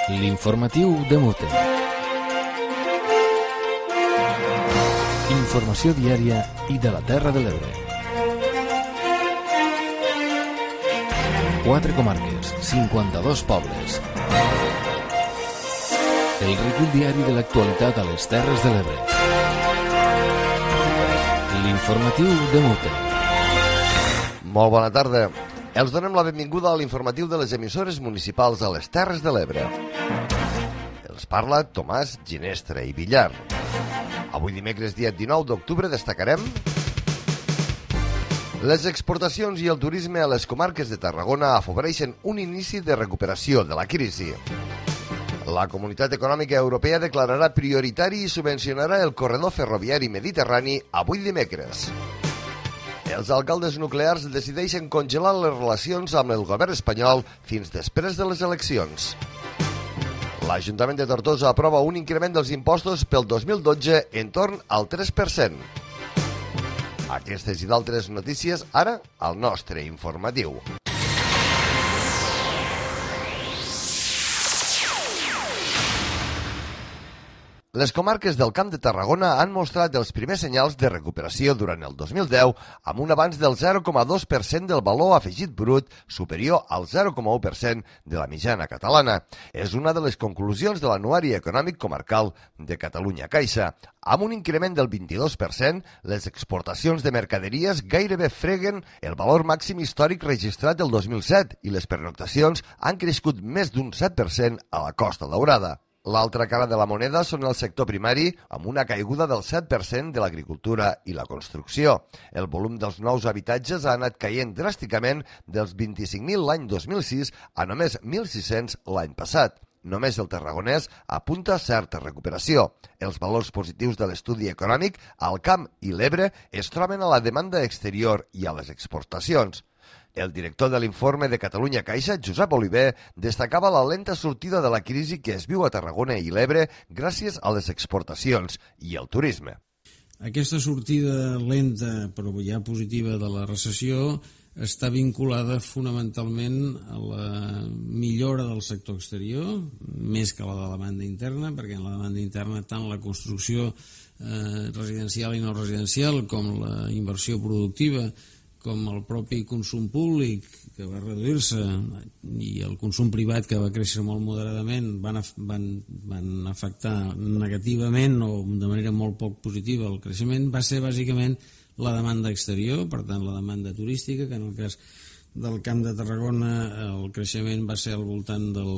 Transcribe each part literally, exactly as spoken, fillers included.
L'informatiu de Mute. Informació diària i de la Terra de l'Ebre. Quatre comarques, cinquanta-dos pobles. El recull diari de l'actualitat a les Terres de l'Ebre. L'informatiu de Mute. Molt bona tarda. Els donem la benvinguda a l'informatiu de les emissores municipals a les Terres de l'Ebre. Els parla Tomàs Ginestra i Villar. Avui dimecres, dia dinou d'octubre, destacarem les exportacions i el turisme a les comarques de Tarragona afavoreixen un inici de recuperació de la crisi. La Comunitat Econòmica Europea declararà prioritari i subvencionarà el corredor ferroviari mediterrani avui dimecres. Els alcaldes nuclears decideixen congelar les relacions amb el govern espanyol fins després de les eleccions. L'Ajuntament de Tortosa aprova un increment dels impostos pel dos mil dotze en torn al tres per cent. Aquestes i d'altres notícies ara al nostre informatiu. Les comarques del Camp de Tarragona han mostrat els primers senyals de recuperació durant el dos mil deu amb un avanç del zero coma dos per cent del valor afegit brut superior al zero coma u per cent de la mitjana catalana. És una de les conclusions de l'Anuari Econòmic Comarcal de Catalunya Caixa. Amb un increment del vint-i-dos per cent, les exportacions de mercaderies gairebé freguen el valor màxim històric registrat el dos mil set i les pernoctacions han crescut més d'un set per cent a la Costa Daurada. L'altra cara de la moneda són el sector primari, amb una caiguda del set per cent de l'agricultura i la construcció. El volum dels nous habitatges ha anat caient dràsticament dels vint-i-cinc mil l'any dos mil sis a només mil sis-cents l'any passat. Només el tarragonès apunta certa recuperació. Els valors positius de l'estudi econòmic al Camp i l'Ebre es troben a la demanda exterior i a les exportacions. El director de l'informe de Catalunya Caixa, Josep Oliver, destacava la lenta sortida de la crisi que es viu a Tarragona i l'Ebre gràcies a les exportacions i el turisme. Aquesta sortida lenta però ja positiva de la recessió està vinculada fonamentalment a la millora del sector exterior, més que la de la demanda interna, perquè en la demanda interna tant la construcció eh, residencial i no residencial com la inversió productiva com el propi consum públic que va reduir-se i el consum privat que va créixer molt moderadament van, van, van afectar negativament o de manera molt poc positiva el creixement, va ser bàsicament la demanda exterior, per tant la demanda turística, que en el cas del Camp de Tarragona el creixement va ser al voltant del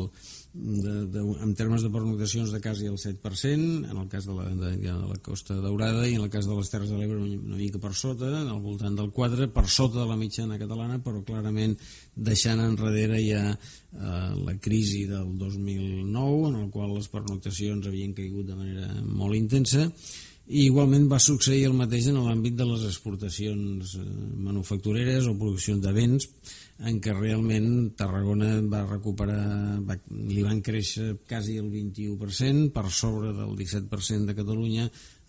De, de, en termes de pernoctacions de quasi el set per cent, en el cas de la, de, de la Costa Daurada, i en el cas de les Terres de l'Ebre una mica per sota, al voltant del quatre, per sota de la mitjana catalana, però clarament deixant enrere ja eh, la crisi del dos mil nou, en el qual les pernoctacions havien caigut de manera molt intensa. I igualment va succeir el mateix en l'àmbit de les exportacions manufactureres o produccions de béns, en què realment Tarragona va recuperar, va, li van créixer quasi el vint-i-u per cent, per sobre del disset per cent de Catalunya,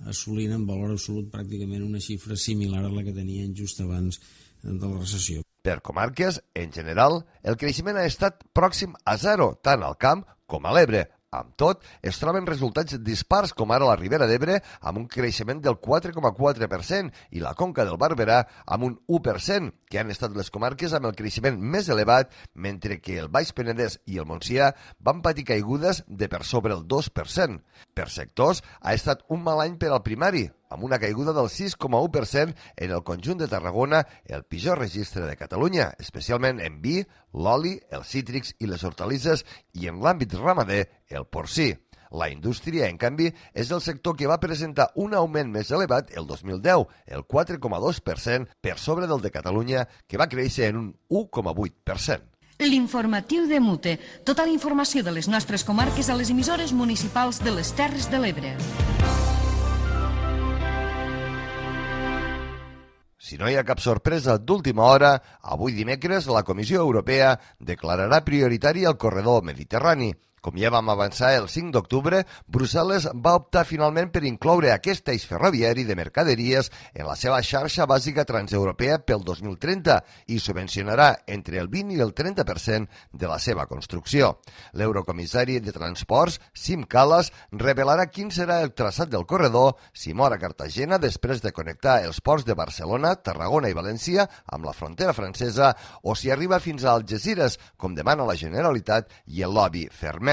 assolint en valor absolut pràcticament una xifra similar a la que tenien just abans de la recessió. Per comarques, en general, el creixement ha estat pròxim a zero, tant al Camp com a l'Ebre. Amb tot, es troben resultats dispars com ara la Ribera d'Ebre amb un creixement del quatre coma quatre per cent i la Conca del Barberà amb un u per cent, que han estat les comarques amb el creixement més elevat, mentre que el Baix Penedès i el Montsià van patir caigudes de per sobre el dos per cent. Per sectors, ha estat un mal any per al primari, amb una caiguda del sis coma u per cent en el conjunt de Tarragona, el pitjor registre de Catalunya, especialment en vi, l'oli, els cítrics i les hortalisses, i en l'àmbit ramader, el porcí. La indústria, en canvi, és el sector que va presentar un augment més elevat el dos mil deu, el quatre coma dos per cent, per sobre del de Catalunya, que va créixer en un u coma vuit per cent. L'informatiu de Mute. Tota la informació de les nostres comarques a les emissores municipals de les Terres de l'Ebre. Si no hi ha cap sorpresa d'última hora, avui dimecres la Comissió Europea declararà prioritari el corredor mediterrani. Com ja vam avançar el cinc d'octubre, Brussel·les va optar finalment per incloure aquest eix ferroviari de mercaderies en la seva xarxa bàsica transeuropea pel dos mil trenta i subvencionarà entre el vint i el trenta per cent de la seva construcció. L'eurocomissari de Transports, Sim Kallas, revelarà quin serà el traçat del corredor si mor a Cartagena després de connectar els ports de Barcelona, Tarragona i València amb la frontera francesa o si arriba fins a Algesires, com demana la Generalitat i el lobby Fermet.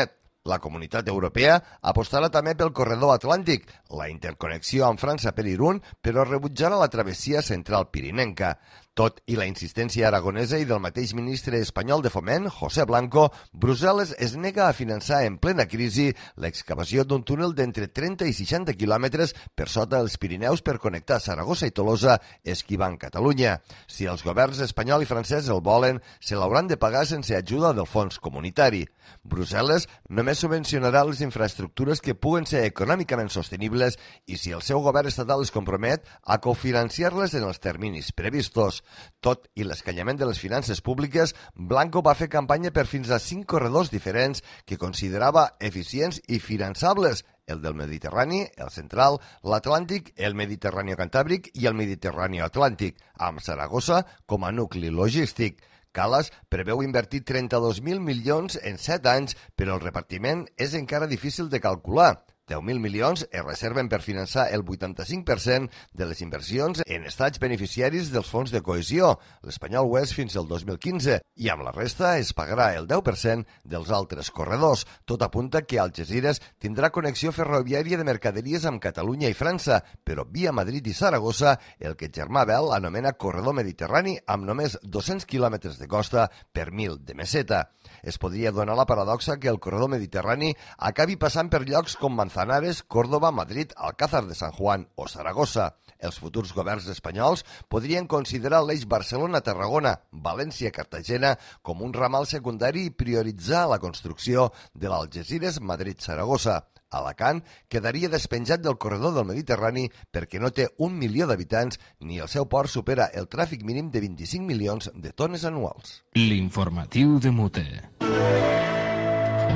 La Comunitat Europea apostarà també pel corredor atlàntic, la interconnexió amb França per Irún, però rebutjarà la travessia central pirinenca. Tot i la insistència aragonesa i del mateix ministre espanyol de Foment, José Blanco, Brussel·les es nega a finançar en plena crisi l'excavació d'un túnel d'entre trenta i seixanta quilòmetres per sota els Pirineus per connectar Saragossa i Tolosa, esquivant Catalunya. Si els governs espanyol i francès el volen, se l'hauran de pagar sense ajuda del fons comunitari. Brussel·les només subvencionarà les infraestructures que puguen ser econòmicament sostenibles i si el seu govern estatal es compromet a cofinanciar-les en els terminis previstos. Tot i l'escanyament de les finances públiques, Blanco va fer campanya per fins a cinc corredors diferents que considerava eficients i finançables: el del Mediterrani, el central, l'Atlàntic, el Mediterrani cantàbric i el Mediterrani atlàntic, amb Saragossa com a nucli logístic. Kallas preveu invertir trenta-dos mil milions en set anys, però el repartiment és encara difícil de calcular. deu mil milions es reserven per finançar el vuitanta-cinc per cent de les inversions en estats beneficiaris dels fons de cohesió, l'espanyol ho és fins al dos mil quinze, i amb la resta es pagarà el deu per cent dels altres corredors. Tot apunta que Algesires tindrà connexió ferroviària de mercaderies amb Catalunya i França, però via Madrid i Saragossa, el que Germà Bel anomena corredor mediterrani amb només dos-cents quilòmetres de costa per mil de meseta. Es podria donar la paradoxa que el corredor mediterrani acabi passant per llocs com Manzanares, Córdoba, Madrid, Alcázar de San Juan o Saragossa. Els futurs governs espanyols podrien considerar l'eix Barcelona-Tarragona, València-Cartagena com un ramal secundari i prioritzar la construcció de l'Algesires-Madrid-Saragossa. Alacant quedaria despenjat del corredor del Mediterrani perquè no té un milió d'habitants ni el seu port supera el tràfic mínim de vint-i-cinc milions de tones anuals. L'informatiu de Mute.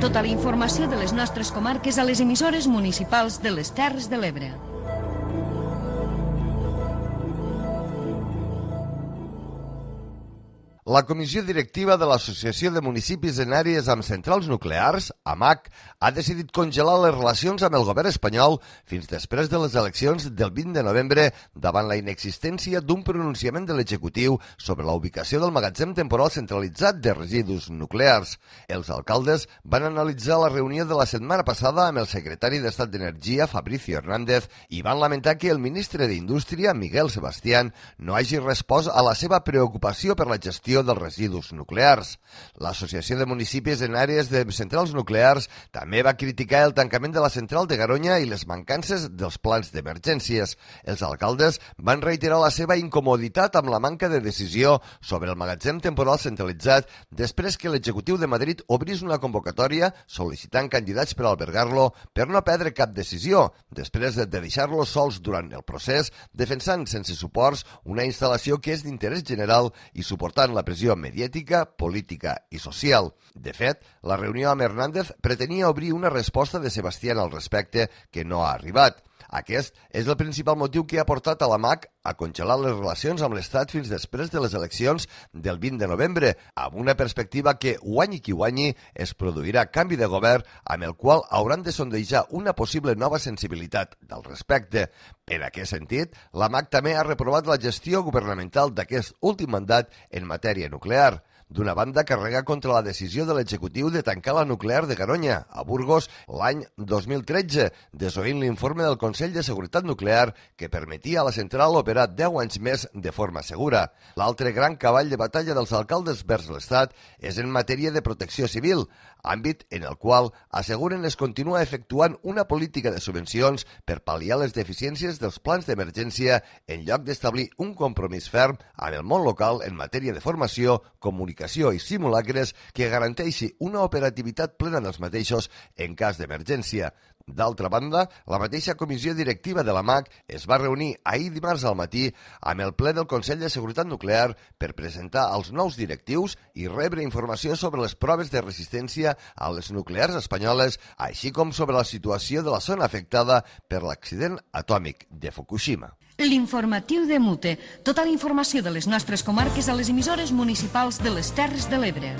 Tota la informació de les nostres comarques a les emissores municipals de les Terres de l'Ebre. La Comissió Directiva de l'Associació de Municipis en Àrees amb Centrals Nuclears, A M A C, ha decidit congelar les relacions amb el govern espanyol fins després de les eleccions del vint de novembre davant la inexistència d'un pronunciament de l'executiu sobre la ubicació del magatzem temporal centralitzat de residus nuclears. Els alcaldes van analitzar la reunió de la setmana passada amb el secretari d'Estat d'Energia, Fabricio Hernández, i van lamentar que el ministre d'Indústria, Miguel Sebastián, no hagi respost a la seva preocupació per la gestió dels residus nuclears. L'Associació de Municipis en Àrees de Centrals Nuclears també va criticar el tancament de la central de Garoña i les mancances dels plans d'emergències. Els alcaldes van reiterar la seva incomoditat amb la manca de decisió sobre el magatzem temporal centralitzat després que l'executiu de Madrid obrís una convocatòria sol·licitant candidats per albergar-lo per no perdre cap decisió, després de deixar-lo sols durant el procés, defensant sense suports una instal·lació que és d'interès general i suportant la pressió mediàtica, política i social. De fet, la reunió amb Hernández pretenia obrir una resposta de Sebastián al respecte que no ha arribat. Aquest és el principal motiu que ha portat a la M A C a congelar les relacions amb l'Estat fins després de les eleccions del vint de novembre, amb una perspectiva que, guanyi qui guanyi, es produirà canvi de govern amb el qual hauran de sondejar una possible nova sensibilitat del respecte. En aquest sentit, la M A C també ha reprovat la gestió governamental d'aquest últim mandat en matèria nuclear. D'una banda, carrega contra la decisió de l'executiu de tancar la nuclear de Garoña, a Burgos, l'any dos mil tretze, desoint l'informe del Consell de Seguretat Nuclear que permetia a la central operar deu anys més de forma segura. L'altre gran cavall de batalla dels alcaldes vers l'Estat és en matèria de protecció civil, àmbit en el qual asseguren es continua efectuant una política de subvencions per pal·liar les deficiències dels plans d'emergència en lloc d'establir un compromís ferm amb el món local en matèria de formació, comunicació i simulacres que garanteixi una operativitat plena dels mateixos en cas d'emergència. D'altra banda, la mateixa comissió directiva de la M A C es va reunir ahir dimarts al matí amb el ple del Consell de Seguretat Nuclear per presentar els nous directius i rebre informació sobre les proves de resistència a les nuclears espanyoles, així com sobre la situació de la zona afectada per l'accident atòmic de Fukushima. L'informatiu de Mute. Tota la informació de les nostres comarques a les emissores municipals de les Terres de l'Ebre.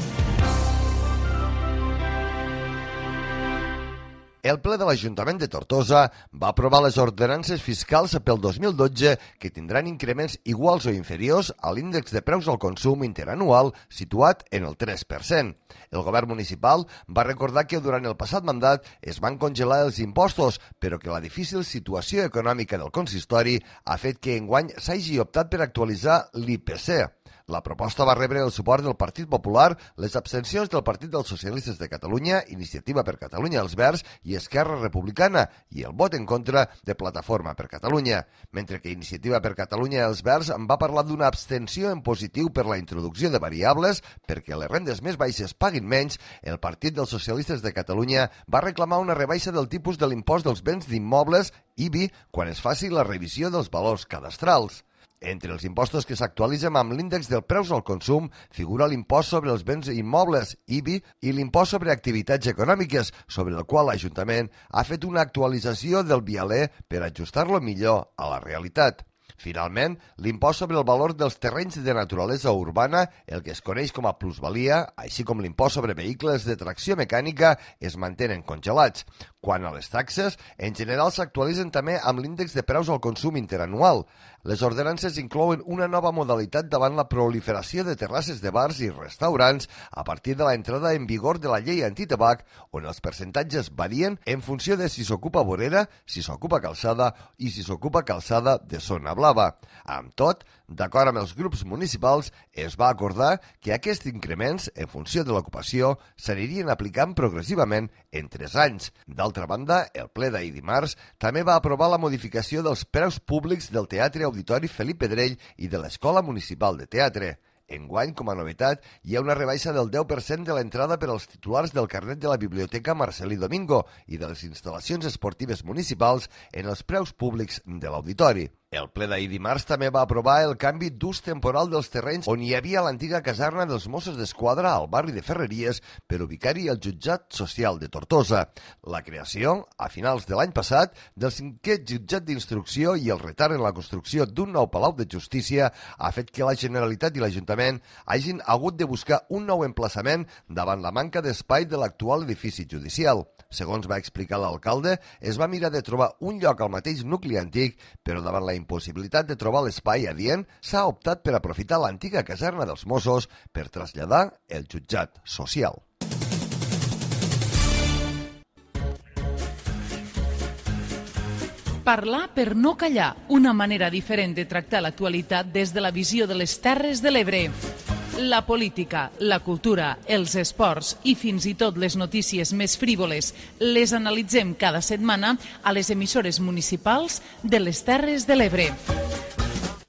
El ple de l'Ajuntament de Tortosa va aprovar les ordenances fiscals pel dos mil dotze que tindran increments iguals o inferiors a l'índex de preus al consum interanual situat en el tres per cent. El govern municipal va recordar que durant el passat mandat es van congelar els impostos, però que la difícil situació econòmica del consistori ha fet que enguany s'hagi optat per actualitzar l'I P C. La proposta va rebre el suport del Partit Popular, les abstencions del Partit dels Socialistes de Catalunya, Iniciativa per Catalunya els Verds i Esquerra Republicana i el vot en contra de Plataforma per Catalunya, mentre que Iniciativa per Catalunya els Verds en va parlar d'una abstenció en positiu per la introducció de variables perquè les rendes més baixes paguin menys. El Partit dels Socialistes de Catalunya va reclamar una rebaixa del tipus de l'impost dels béns d'immobles I B I quan es faci la revisió dels valors cadastrals. Entre els impostos que s'actualitzen amb l'índex del preus al consum figura l'impost sobre els béns immobles, I B I, i l'impost sobre activitats econòmiques, sobre el qual l'Ajuntament ha fet una actualització del vialer per ajustar-lo millor a la realitat. Finalment, l'impost sobre el valor dels terrenys de naturalesa urbana, el que es coneix com a plusvalia, així com l'impost sobre vehicles de tracció mecànica, es mantenen congelats. Quant a les taxes, en general s'actualitzen també amb l'índex de preus al consum interanual. Les ordenances inclouen una nova modalitat davant la proliferació de terrasses de bars i restaurants a partir de l'entrada en vigor de la llei antitabac, on els percentatges varien en funció de si s'ocupa vorera, si s'ocupa calçada i si s'ocupa calçada de zona blava. Amb tot, d'acord amb els grups municipals, es va acordar que aquests increments, en funció de l'ocupació, s'anirien aplicant progressivament en tres anys. D'altra banda, el ple d'ahir dimarts també va aprovar la modificació dels preus públics del Teatre Auditori Felip Pedrell i de l'Escola Municipal de Teatre. Enguany, com a novetat, hi ha una rebaixa del deu per cent de l'entrada per als titulars del carnet de la Biblioteca Marcelí Domingo i de les instal·lacions esportives municipals en els preus públics de l'auditori. El ple d'ahir dimarts també va aprovar el canvi d'ús temporal dels terrenys on hi havia l'antiga caserna dels Mossos d'Esquadra al barri de Ferreries per ubicar-hi el jutjat social de Tortosa. La creació, a finals de l'any passat, del cinquè jutjat d'instrucció i el retard en la construcció d'un nou palau de justícia ha fet que la Generalitat i l'Ajuntament hagin hagut de buscar un nou emplaçament davant la manca d'espai de l'actual edifici judicial. Segons va explicar l'alcalde, es va mirar de trobar un lloc al mateix nucli antic, però davant la impossibilitat de trobar l'espai adient, s'ha optat per aprofitar l'antiga caserna dels Mossos per traslladar el jutjat social. Parlar per no callar, una manera diferent de tractar l'actualitat des de la visió de les Terres de l'Ebre. La política, la cultura, els esports i fins i tot les notícies més frívoles les analitzem cada setmana a les emissores municipals de les Terres de l'Ebre.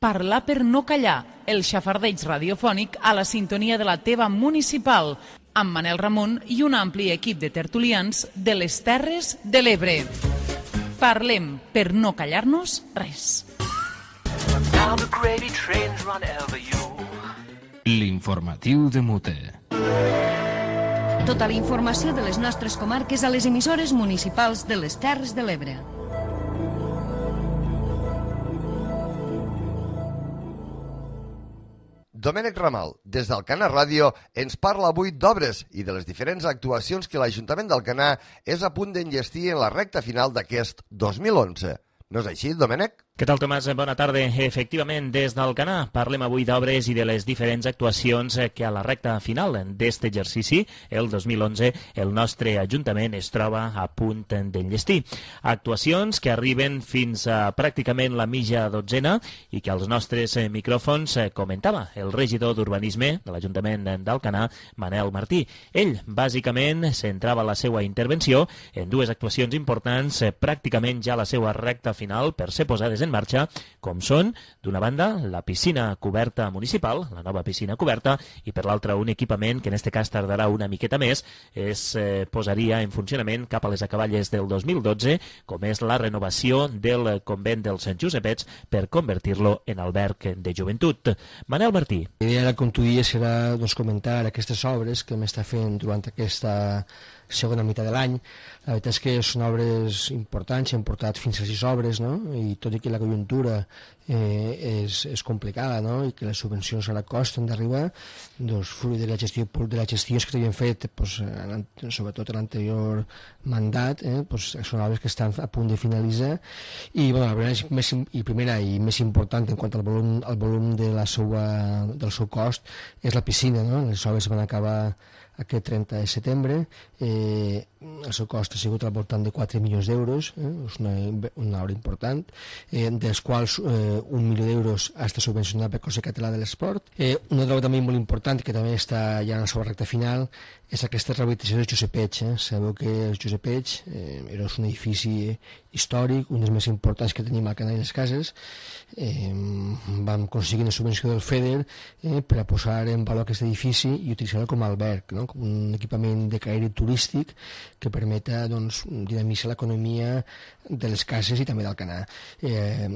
Parlar per no callar, el xafardeig radiofònic a la sintonia de la teva municipal, amb Manel Ramon i un ampli equip de tertulians de les Terres de l'Ebre. Parlem per no callar-nos res. L'informatiu de Mute. Tota la informació de les nostres comarques a les emissores municipals de les Terres de l'Ebre. Domènec Ramal, des d'Alcanar Ràdio, ens parla avui d'obres i de les diferents actuacions que l'Ajuntament d'Alcanar és a punt d'enllestir en la recta final d'aquest dos mil onze. No és així, Domènec? Què tal, Tomàs? Bona tarda. Efectivament, des d'Alcanar parlem avui d'obres i de les diferents actuacions que a la recta final d'aquest exercici, el dos mil onze, el nostre Ajuntament es troba a punt d'enllestir. Actuacions que arriben fins a pràcticament la mitja dotzena i que als nostres micròfons comentava el regidor d'Urbanisme de l'Ajuntament d'Alcanar, Manel Martí. Ell, bàsicament, centrava la seva intervenció en dues actuacions importants, pràcticament ja a la seva recta final per ser posades en marxa, com són, d'una banda, la piscina coberta municipal, la nova piscina coberta, i per l'altra un equipament que en aquest cas tardarà una miqueta més, es eh, posaria en funcionament cap a les acaballes del dos mil dotze, com és la renovació del convent dels Sant Josepets per convertir-lo en alberg de joventut. Manel Martí. La idea, com tu dies, serà doncs, comentar aquestes obres que m'està fent durant aquesta segona meitat de l'any. La veritat és que són obres importants, hem portat fins a sis obres, no? I tot i que la conjuntura eh, és, és complicada, no? I que les subvencions ara costen d'arribar, doncs, fruit de la gestió de les gestions que s'havien fet, doncs, sobretot en l'anterior mandat, eh, doncs, són obres que estan a punt de finalitzar. I, bueno, la primera, més, i primera i més important en quant al volum, al volum de la seva, del seu cost és la piscina, no? Les obres van acabar aquest trenta de setembre, eh, el seu cost ha sigut al voltant de quatre milions d'euros, eh, és una, una obra important, eh, dels quals eh, un milió d'euros ha estat subvencionat per Consell Català de l'Esport. Eh, una obra també molt important, que també està ja en la seva recta final, és aquesta rehabilitació dels Josepets. Eh? Sabeu que els Josepets eh, era un edifici històric, un dels més importants que tenim al Canà i les Cases. Eh, vam aconseguir una subvenció del FEDER eh, per a posar en valor aquest edifici i utilitzar-lo com a alberg, no? Com un equipament de caire turístic que permeta doncs, dinamitzar l'economia de les cases i també del Canà. Eh,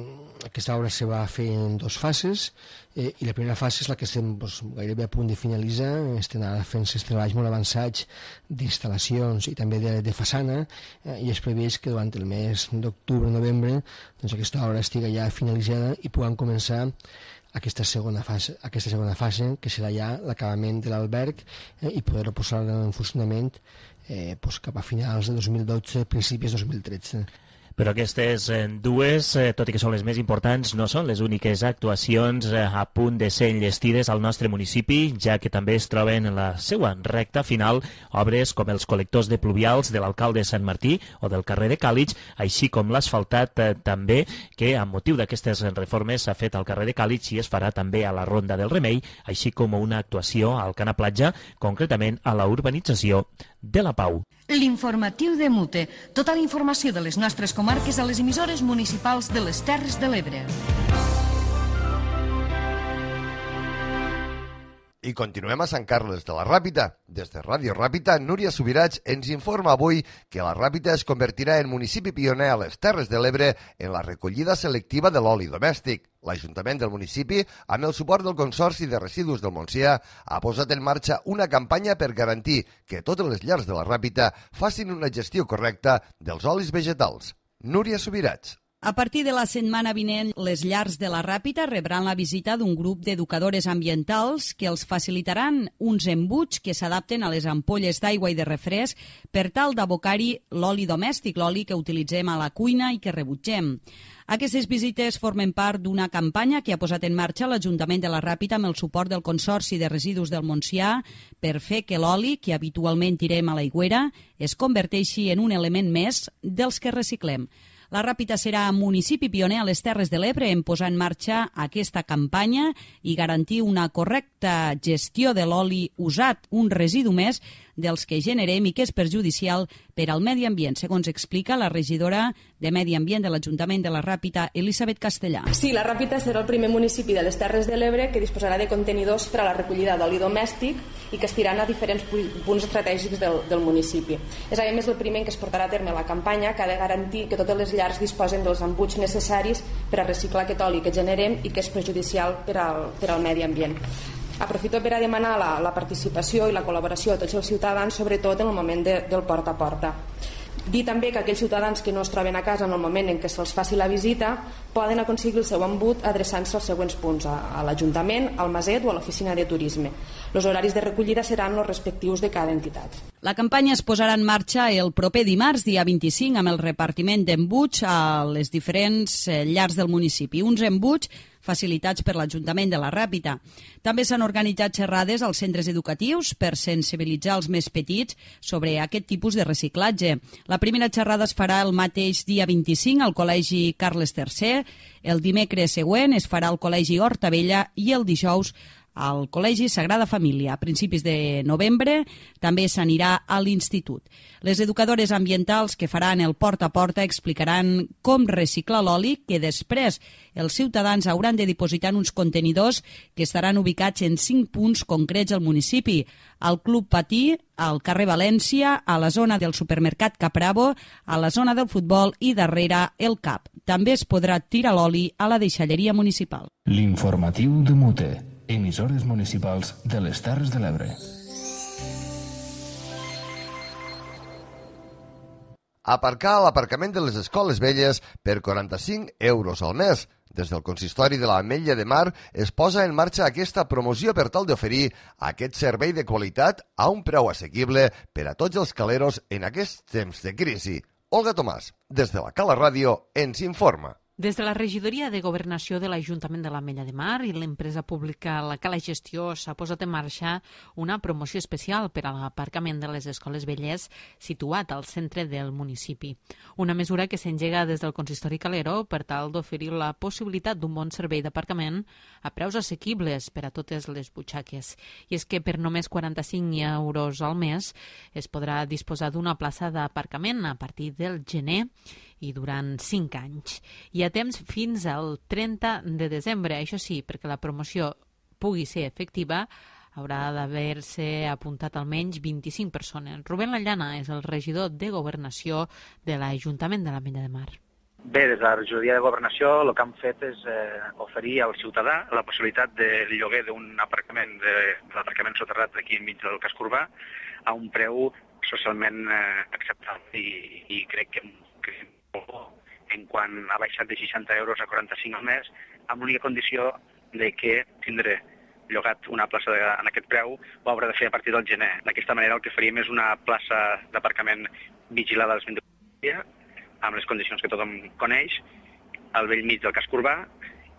aquesta obra se va fer en dues fases, eh, i la primera fase és la que estem doncs, gairebé a punt de finalitzar. Estem ara fent els treballs molt avançats d'instal·lacions i també de, de façana, eh, i és previst que durant el mes d'octubre-novembre doncs, aquesta obra estigui ja finalitzada i puguem començar aquesta segona fase, aquesta segona fase que serà ja l'acabament de l'alberg, eh, i poder-ho posar en funcionament eh, doncs cap a finals de dos mil dotze, principis de dos mil tretze. Però aquestes dues, tot i que són les més importants, no són les úniques actuacions a punt de ser enllestides al nostre municipi, ja que també es troben en la seva recta final obres com els col·lectors de pluvials de l'alcalde de Sant Martí o del carrer de Càlig, així com l'asfaltat també, que amb motiu d'aquestes reformes s'ha fet al carrer de Càlig i es farà també a la Ronda del Remei, així com una actuació al Canà Platja, concretament a la urbanització de la Pau. L'informatiu de Mute. Tota la informació de les nostres comarques a les emissores municipals de les Terres de l'Ebre. I continuem a Sant Carles de la Ràpita. Des de Ràdio Ràpita, Núria Subirats ens informa avui que la Ràpita es convertirà en municipi pioner a les Terres de l'Ebre en la recollida selectiva de l'oli domèstic. L'Ajuntament del municipi, amb el suport del Consorci de Residus del Montsià, ha posat en marxa una campanya per garantir que totes les llars de la Ràpita facin una gestió correcta dels olis vegetals. Núria Subirats. A partir de la setmana vinent, les llars de la Ràpita rebran la visita d'un grup d'educadores ambientals que els facilitaran uns embuts que s'adapten a les ampolles d'aigua i de refresc per tal d'abocar-hi l'oli domèstic, l'oli que utilitzem a la cuina i que rebutgem. Aquestes visites formen part d'una campanya que ha posat en marxa l'Ajuntament de la Ràpita amb el suport del Consorci de Residus del Montsià per fer que l'oli que habitualment tirem a l'aigüera es converteixi en un element més dels que reciclem. La Ràpita serà municipi pioner a les Terres de l'Ebre en posar en marxa aquesta campanya i garantir una correcta gestió de l'oli usat, un residu més dels que generem i que és perjudicial per al medi ambient, segons explica la regidora de Medi Ambient de l'Ajuntament de la Ràpita, Elisabet Castellà. Sí, la Ràpita serà el primer municipi de les Terres de l'Ebre que disposarà de contenidors per a la recollida d'oli domèstic i que estiran a diferents punts estratègics del, del municipi. És a més el primer en què es portarà a terme la campanya, que ha de garantir que totes les llars disposen dels embuts necessaris per a reciclar aquest oli que generem i que és perjudicial per al, per al medi ambient. Aprofito per a demanar la, la participació i la col·laboració de tots els ciutadans, sobretot en el moment de, del porta a porta. Dir també que aquells ciutadans que no es troben a casa en el moment en què se'ls faci la visita poden aconseguir el seu embut adreçant-se als següents punts, a, a l'Ajuntament, al Maset o a l'Oficina de Turisme. Els horaris de recollida seran els respectius de cada entitat. La campanya es posarà en marxa el proper dimarts, dia vint-i-cinc, amb el repartiment d'embuts a les diferents llars del municipi. Uns embuts facilitats per l'Ajuntament de la Ràpita. També s'han organitzat xerrades als centres educatius per sensibilitzar els més petits sobre aquest tipus de reciclatge. La primera xerrada es farà el mateix dia vint-i-cinc al Col·legi Carles tercer, el dimecres següent es farà al Col·legi Horta Vella i el dijous al Col·legi Sagrada Família. A principis de novembre també s'anirà a l'institut. Les educadores ambientals que faran el porta a porta explicaran com reciclar l'oli, que després els ciutadans hauran de dipositar en uns contenidors que estaran ubicats en cinc punts concrets al municipi: al Club Patí, al carrer València, a la zona del supermercat Capravo, a la zona del futbol i darrere el C A P. També es podrà tirar l'oli a la deixalleria municipal. L'informatiu de Mute. Emissores municipals de les Terres de l'Ebre. Aparcar a l'aparcament de les escoles velles per quaranta-cinc euros al mes. Des del consistori de l'Ametlla de Mar es posa en marxa aquesta promoció per tal d'oferir aquest servei de qualitat a un preu assequible per a tots els caleros en aquests temps de crisi. Olga Tomàs, des de la Cala Ràdio, ens informa. Des de la Regidoria de Governació de l'Ajuntament de l'Ametlla de Mar i l'empresa pública La Cala Gestió s'ha posat en marxa una promoció especial per a l'aparcament de les escoles velles situat al centre del municipi. Una mesura que s'engega des del consistori calero per tal d'oferir la possibilitat d'un bon servei d'aparcament a preus assequibles per a totes les butxaques. I és que per només quaranta-cinc euros al mes es podrà disposar d'una plaça d'aparcament a partir del gener i durant cinc anys. Hi ha temps fins al trenta de desembre. Això sí, perquè la promoció pugui ser efectiva, haurà d'haver-se apuntat almenys vint-i-cinc persones. Rubén Lallana és el regidor de Governació de l'Ajuntament de l'Ametlla de Mar. Bé, des de la regidoria de Governació el que han fet és eh, oferir al ciutadà la possibilitat del lloguer d'un aparcament, de, de l'aparcament soterrat aquí enmig del casc urbà, a un preu socialment eh, acceptable i, i crec que, que en quan ha baixat de seixanta euros a quaranta-cinc al mes, amb l'única condició de que tindré llogat una plaça de, en aquest preu ho haurà de fer a partir del gener. D'aquesta manera el que faríem és una plaça d'aparcament vigilada als vint-i-quatre dies, amb les condicions que tothom coneix, al vell mig del casc urbà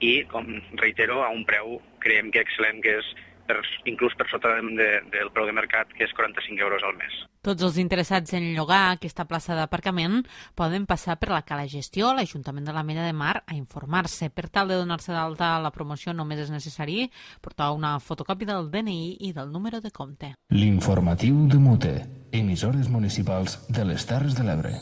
i, com reitero, a un preu creiem que excel·lent, que és per, inclús per sota de, del preu de mercat, que és quaranta-cinc euros al mes. Tots els interessats en llogar aquesta plaça d'aparcament poden passar per la Cala Gestió, l'Ajuntament de l'Ametlla de Mar, a informar-se. Per tal de donar-se d'alta a la promoció només és necessari portar una fotocòpia del D N I i del número de compte. L'informatiu de Mute. Emissores municipals de les Terres de l'Ebre.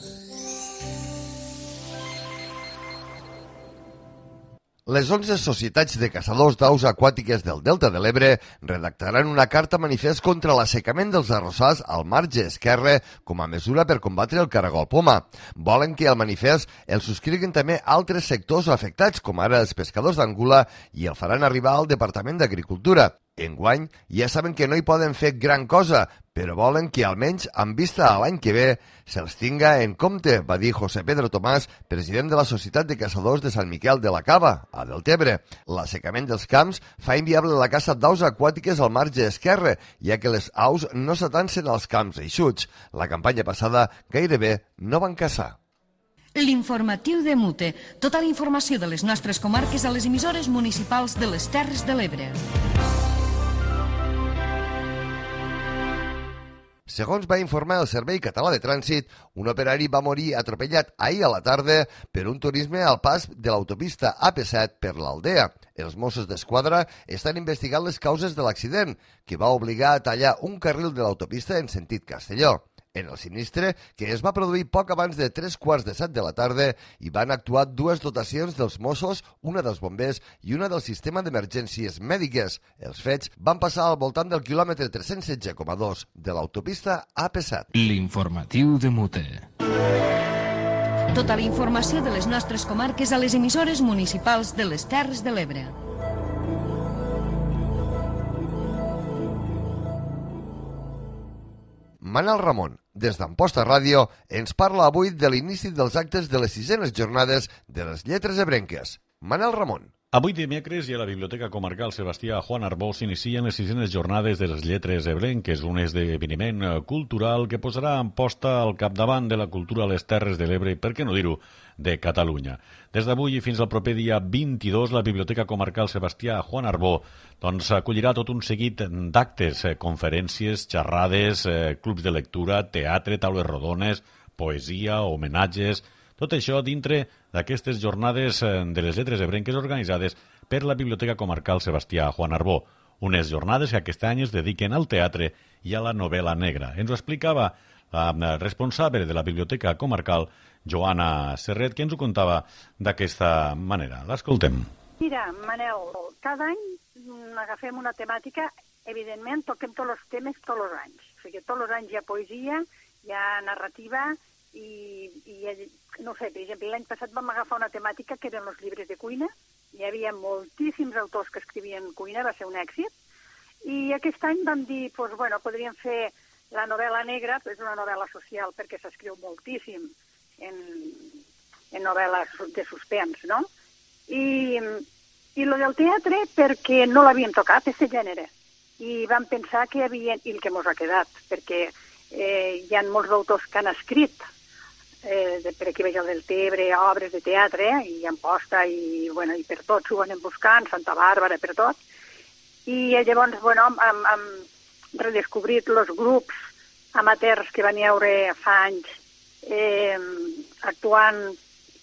Les onze societats de caçadors d'aus aquàtiques del Delta de l'Ebre redactaran una carta manifest contra l'assecament dels arrossars al marge esquerre com a mesura per combatre el caragol poma. Volen que el manifest el subscriguin també altres sectors afectats, com ara els pescadors d'Angula, i el faran arribar al Departament d'Agricultura. Enguany ja saben que no hi poden fer gran cosa, però volen que almenys amb vista a l'any que ve se'ls tinga en compte, va dir José Pedro Tomàs, president de la Societat de Caçadors de Sant Miquel de la Cava, a Deltebre. L'assecament dels camps fa inviable la caça d'aus aquàtiques al marge esquerre, ja que les aus no s'atancen als camps eixuts. La campanya passada gairebé no van caçar. L'informatiu de Mute. Tota la informació de les nostres comarques a les emissores municipals de les Terres de l'Ebre. Segons va informar el Servei Català de Trànsit, un operari va morir atropellat ahir a la tarda per un turisme al pas de l'autopista A P set per l'Aldea. Els Mossos d'Esquadra estan investigant les causes de l'accident, que va obligar a tallar un carril de l'autopista en sentit Castelló. En el sinistre, que es va produir poc abans de tres quarts de set de la tarda, hi van actuar dues dotacions dels Mossos, una dels bombers i una del sistema d'emergències mèdiques. Els fets van passar al voltant del quilòmetre tres-cents setze coma dos de l'autopista A P set. L'informatiu de Mute. Tota la informació de les nostres comarques a les emissores municipals de les Terres de l'Ebre. Manel Ramon, des d'Amposta Ràdio, ens parla avui de l'inici dels actes de les sisenes jornades de les lletres ebrenques. Manel Ramon. Avui dimecres i a la Biblioteca Comarcal Sebastià Juan Arbó s'inicien les sisenes jornades de les lletres ebrenques, un esdeveniment cultural que posarà Amposta al capdavant de la cultura a les Terres de l'Ebre i, per què no dir-ho, de Catalunya. Des d'avui i fins al proper dia vint-i-dos, la Biblioteca Comarcal Sebastià Juan Arbó doncs, acollirà tot un seguit d'actes, eh, conferències, xerrades, eh, clubs de lectura, teatre, taules rodones, poesia, homenatges. Tot això dintre d'aquestes jornades de les lletres ebrenques organitzades per la Biblioteca Comarcal Sebastià Juan Arbó. Unes jornades que aquest any es dediquen al teatre i a la novel·la negra. Ens ho explicava la responsable de la Biblioteca Comarcal, Joana Serret, que ens ho contava d'aquesta manera. L'escoltem. Mira, Manel, cada any agafem una temàtica, evidentment toquem tots els temes tots els anys. O sigui, tots els anys hi ha poesia, hi ha narrativa i, i no sé, per exemple, l'any passat vam agafar una temàtica que eren els llibres de cuina. Hi havia moltíssims autors que escrivien cuina, va ser un èxit. I aquest any vam dir, doncs, bueno, podríem fer la novel·la negra, és una novel·la social perquè s'escriu moltíssim en, en novel·les de suspens, no? I, i lo del teatre perquè no l'havíem tocat, aquest gènere. I vam pensar que hi havia, i el que mos ha quedat, perquè eh, hi ha molts autors que han escrit, eh, de, per aquí veig el del Tebre, obres de teatre, eh, i Amposta, i, bueno, i per tot s'ho anem buscant, Santa Bàrbara, per tot. I llavors, bueno, hem, hem redescobrit els grups amateurs que van haure fa anys eh, actuant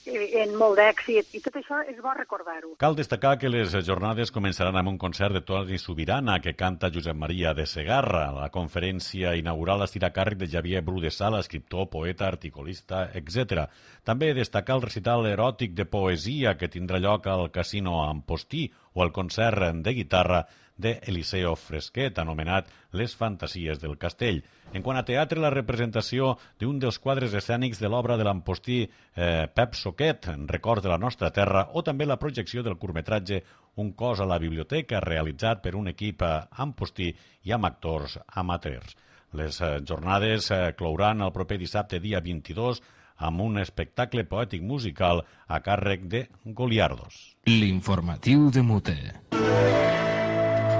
en molt d'èxit, i tot això és bo recordar-ho. Cal destacar que les jornades començaran amb un concert de Toni Subirana que canta Josep Maria de Segarra. La conferència inaugural estirà a càrrec de Xavier Bru de Sala, escriptor, poeta, articulista, etcètera. També destacar el recital eròtic de poesia que tindrà lloc al Casino Ampostí o el concert de guitarra de Eliseo Fresquet, anomenat Les fantasies del castell. En quant a teatre, la representació d'un dels quadres escènics de l'obra de l'Ampostí eh, Pep Soquet, en record de la nostra terra, o també la projecció del curtmetratge Un cos a la biblioteca, realitzat per un equip ampostí i amb actors amateurs. Les eh, jornades eh, clouran el proper dissabte, dia vint-i-dos, amb un espectacle poètic musical a càrrec de Goliardos. L'informatiu de Mute.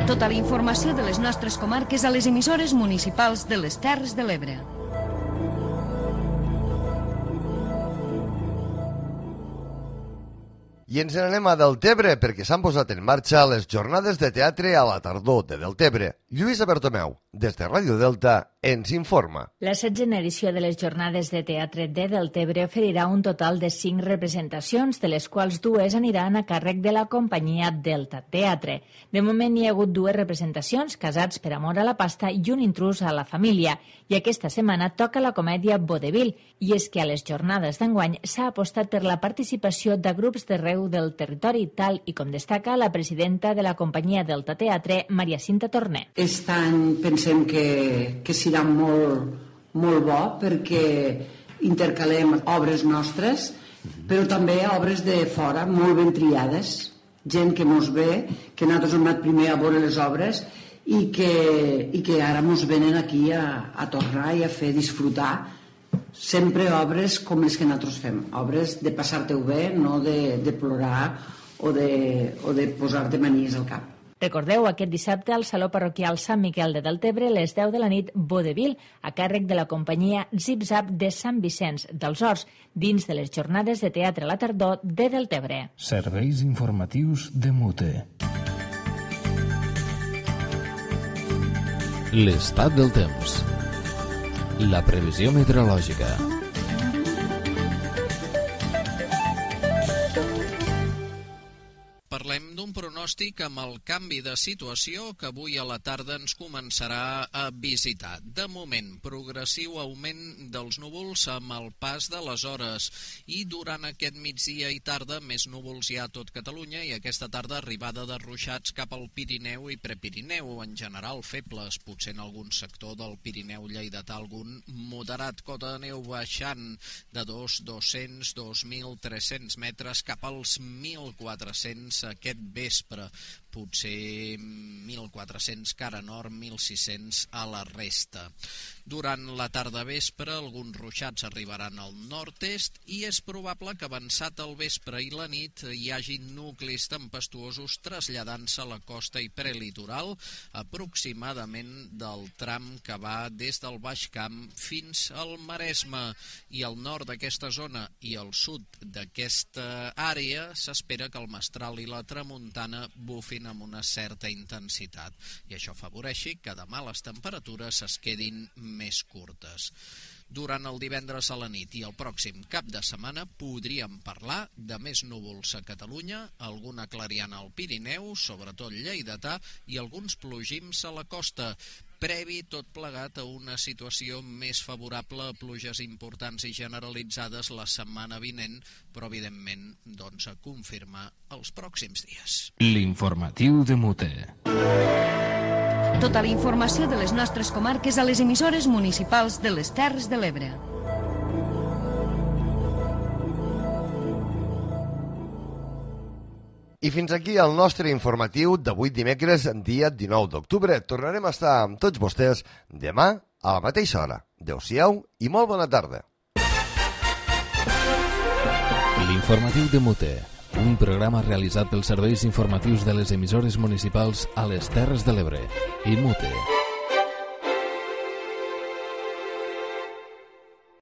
Tota la informació de les nostres comarques a les emissores municipals de les Terres de l'Ebre. I ens n'anem a Deltebre perquè s'han posat en marxa les jornades de teatre a la tardor de Deltebre. Lluïsa Bertomeu, des de Ràdio Delta, ens informa. La setzena edició de les jornades de teatre de Deltebre oferirà un total de cinc representacions, de les quals dues aniran a càrrec de la companyia Delta Teatre. De moment hi ha hagut dues representacions, Casats per amor a la pasta i Un intrús a la família, i aquesta setmana toca la comèdia Vodevil, i és que a les jornades d'enguany s'ha apostat per la participació de grups d'arreu del territori, tal i com destaca la presidenta de la companyia Delta Teatre, Maria Cinta Torné. Aquest any pensem que, que serà molt, molt bo perquè intercalem obres nostres, però també obres de fora, molt ben triades, gent que mos ve, que nosaltres hem anat primer a veure les obres i que, i que ara mos venen aquí a, a tornar i a fer disfrutar sempre obres com les que nosaltres fem, obres de passar-te-ho bé, no de, de plorar o de, o de posar-te manies al cap. Recordeu, aquest dissabte al Saló Parroquial Sant Miquel de Deltebre, a les deu de la nit, Vodevil, a càrrec de la companyia Zip-Zap de Sant Vicenç dels Horts, dins de les jornades de teatre a la tardor de Deltebre. Serveis informatius de Mute. L'estat del temps. La previsió meteorològica. Parlem d'un pronòstic amb el canvi de situació que avui a la tarda ens començarà a visitar. De moment, progressiu augment dels núvols amb el pas de les hores i durant aquest migdia i tarda més núvols hi ha a tot Catalunya i aquesta tarda arribada de ruixats cap al Pirineu i Prepirineu, en general febles, potser en algun sector del Pirineu lleidatà algun moderat, cota de neu baixant de dos mil dos-cents a dos mil tres-cents metres cap als mil quatre-cents aquest vespre, potser mil quatre-cents cara nord, mil sis-cents a la resta. Durant la tarda vespre, alguns ruixats arribaran al nord-est i és probable que avançat el vespre i la nit hi hagi nuclis tempestuosos traslladant-se a la costa i prelitoral, aproximadament del tram que va des del Baix Camp fins al Maresme. I al nord d'aquesta zona i al sud d'aquesta àrea s'espera que el mestral i la tramuntana bufin amb una certa intensitat i això afavoreixi que demà les temperatures es quedin més curtes. Durant el divendres a la nit i el pròxim cap de setmana podríem parlar de més núvols a Catalunya, alguna clariana al Pirineu, sobretot lleidatà, i alguns plogims a la costa, previ tot plegat a una situació més favorable a pluges importants i generalitzades la setmana vinent, però evidentment doncs, a confirmar els pròxims dies. L'informatiu de Mute. Tota la informació de les nostres comarques a les emissores municipals de les Terres de l'Ebre. I fins aquí el nostre informatiu d'avui dimecres, dia dinou d'octubre. Tornarem a estar amb tots vostès demà a la mateixa hora. Adéu-siau i molt bona tarda. L'informatiu de Mute, un programa realitzat pels serveis informatius de les emissores municipals a les Terres de l'Ebre i Mute.